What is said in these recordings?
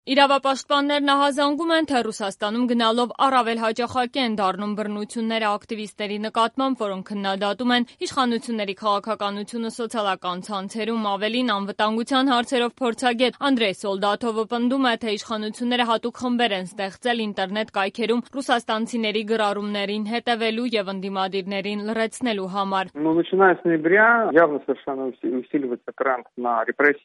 Իրավապաշտպաններն ահազանգում են, թե Ռուսաստանում գնալով առավել հաճախակի են դառնում բռնությունները ակտիվիստների նկատմամբ, որոնք քննադատում են իշխանությունների քաղաքականությունը սոցիալական ցանցերում։ Ավելին, անվտանգության հարցերով փորձագետ Անդրեյ Սոլդաթովը պնդում է, թե իշխանությունները հատուկ խմբեր են ստեղծել ինտերնետ կայքերում ռուսաստանցիների գրառումներին հետևելու եւ ընդդիմադիրներին լրացնելու համար։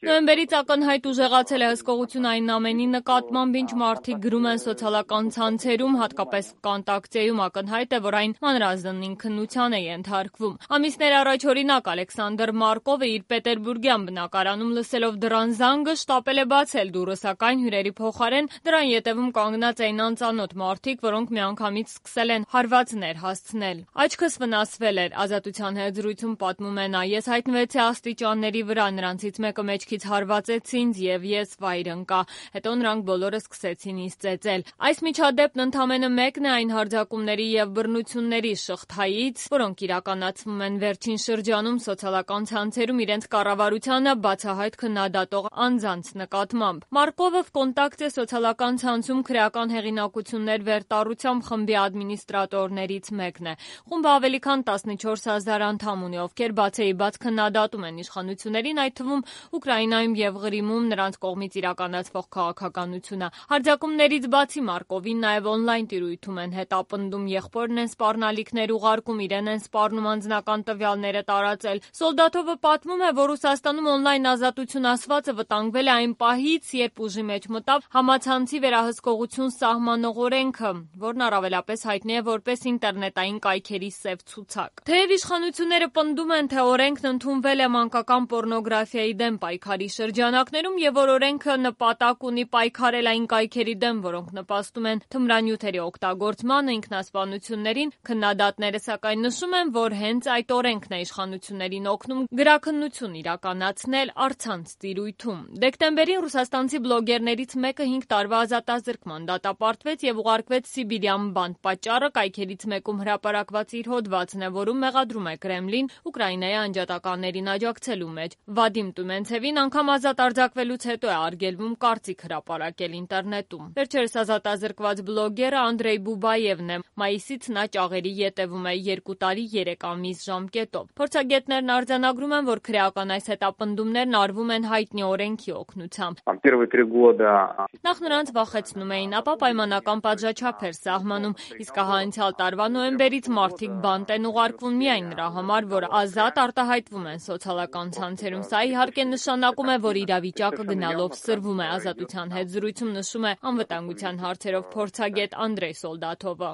Նոյեմբերից ակնհայտ ուժեղացել է հսկողություն այն ամենի նկատմամբ, ինչ մարդիկ գրում են սոցիալական ցանցերում, հատկապես Վկոնտակտեում, ակնհայտ է, որ այն մանրազնին քննության է ենթարկվում։ Ամիսներ առաջ, օրինակ, Ալեքսանդր Մարկովը իր պետերբուրգյան բնակարանում լսելով դռան զանգը շտապել է բացել դուռը, սակայն հյուրերի փոխարեն դրան ետևում կանգնած էին անծանոթ մարդիկ, որոնք միանգամից սկսել են հարվածներ հասցնել։ Աչքս վնասվել էր, Ազատության հետ զրույցում պատմում է նա։ Ես հայտնվեցի աստիճանների վրա, նրանցից մեկը մեջքից հարվածեց ինձ եւ ես վայր ընկա։ Հետո նրանք բոլորը սկսեցին ինձ ծեծել։ Այս միջադեպն ընդամենը մեկն է այն հարձակումների եւ բռնությունների շղթայից, որոնք իրականացվում են վերջին շրջանում սոցիալական ցանցերում իրենց կառավարությանը բացահայտ քննադատող անձանց նկատմամբ։ Մարկովը Վկոնտակտե սոցիալական ցանցում քրեական հեղինակություններ վերտառությամբ խմբի ադմինիստրատորներից մեկն է։ Խումբը ավելի քան 14,000 անդամ ունի, ովքեր բացեիբաց քննադատում են իշխանություններին, այդ թվում Ուկրաինայում եւ Ղրիմում նրանց կողմից իրականացվող քաղաքականությունը։ Հարձակումներից բացի Մարկովին նաև օնլայն տիրույթում են հետապնդում, եղբորն են սպառնալիքներ ուղարկում, իրեն են սպառնում անձնական տվյալները տարածել։ Սոլդաթովը պատմում է, որ Ռուսաստանում օնլայն ազատություն ասվածը վտանգվել է այն պահից, երբ ուժի մեջ մտավ համացանցի վերահսկողություն սահմանող օրենքը, որն առավելապես հայտնի է որպես ինտերնետային կայքերի սև ցուցակ։ Թեև իշխանությունները պնդում են, թե օրենքն ընդունվել է մանկական պոռնոգրաֆիայի դեմ պայքարի շրջանակներում եւ որ օրենքը նպատակ ունի պայքարել այն կայքերի դեմ, որոնք նպաստում են թմրանյութերի օգտագործմանը, ինքնասպանություններին, քննադատները սակայն նշում են, որ հենց այդ օրենքն է իշխանություններին օգնում գրաքննություն իրականացնել առցանց տիրույթում։ Դեկտեմբերին ռուսաստանցի բլոգերներից մեկը 5 տարվա ազատազրկման դատապարտվեց եւ ուղարկվեց Սիբիրյան բանտ։ Պատճառը կայքերից մեկում հրապարակված իր հոդվածն է, որում մեղադրում է Կրեմլին Ուկրաինայի անջատականներին աջակցելու մեջ։ Վադիմ Տումենցևին անգամ ազատ արձակվելուց հետո է արգելվում կարծիք հրապարակել ինտերնետում։ Վերջերս ազատազրկված բլոգերը Անդրեյ Բուբաևն է։ Մայիսից նա ճաղերի ետևում է 2 տարի 3 ամիս ժամկետով։ Փորձագետներն արձանագրում են, որ քրեական այս հետապնդումներն արվում են հայտնի օրենքի օգնությամբ։ Նախ նրանց վախեցնում էին, ապա պայմանական պատժաչափ էր սահմանում, իսկ ահա անցյալ տարվա նոյեմբերից մարդիկ բանտ են ուղարկվում միայն նրա համար, որ ազատ արտահայտվում են սոցիալական ցանցերում։ Սա իհարկե նշանակում է, որ իրավիճակը գնալով սրվում է։ Ազատության հետ զրույցում նշում է անվտանգության հարցերով փորձագետ Անդրեյ Սոլդաթովը։